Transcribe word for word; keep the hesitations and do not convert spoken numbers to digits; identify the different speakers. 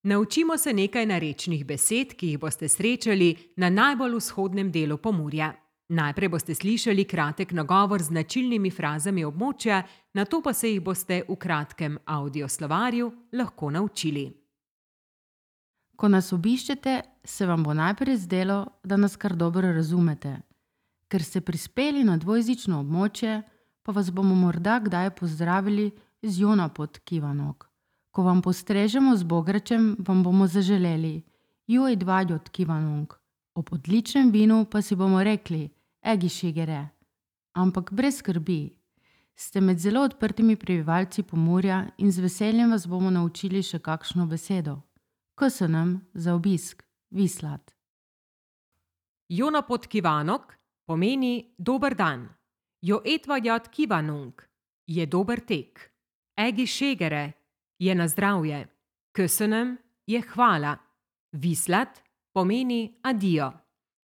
Speaker 1: Naučimo se nekaj narečnih besed, ki jih boste srečali na najbolj vzhodnem delu Pomurja. Najprej boste slišali kratek nagovor z značilnimi frazami območja, nato pa se jih boste v kratkem audioslovarju lahko naučili.
Speaker 2: Ko nas obiščete, se vam bo najprej zdelo, da nas kar dobro razumete. Ker ste prispeli na dvojezično območje, pa vas bomo morda kdaj pozdravili z Jona pod Kivanok. Ko vam postrežemo z bogračem, vam bomo zaželeli Joj dvaj od Kivanok. Ob odličnem vinu pa si bomo rekli Egi šigere. Ampak brez skrbi. Ste med zelo odprtimi prebivalci Pomurja in z veseljem vas bomo naučili še kakšno besedo. Köszönöm za obisk, Viszlát.
Speaker 1: Jona pod Kivanok pomeni dober dan. Jo etvajat Kivanunk je dober tek. Egi šegere je na zdravje. Köszönöm je hvala. Viszlát pomeni adijo.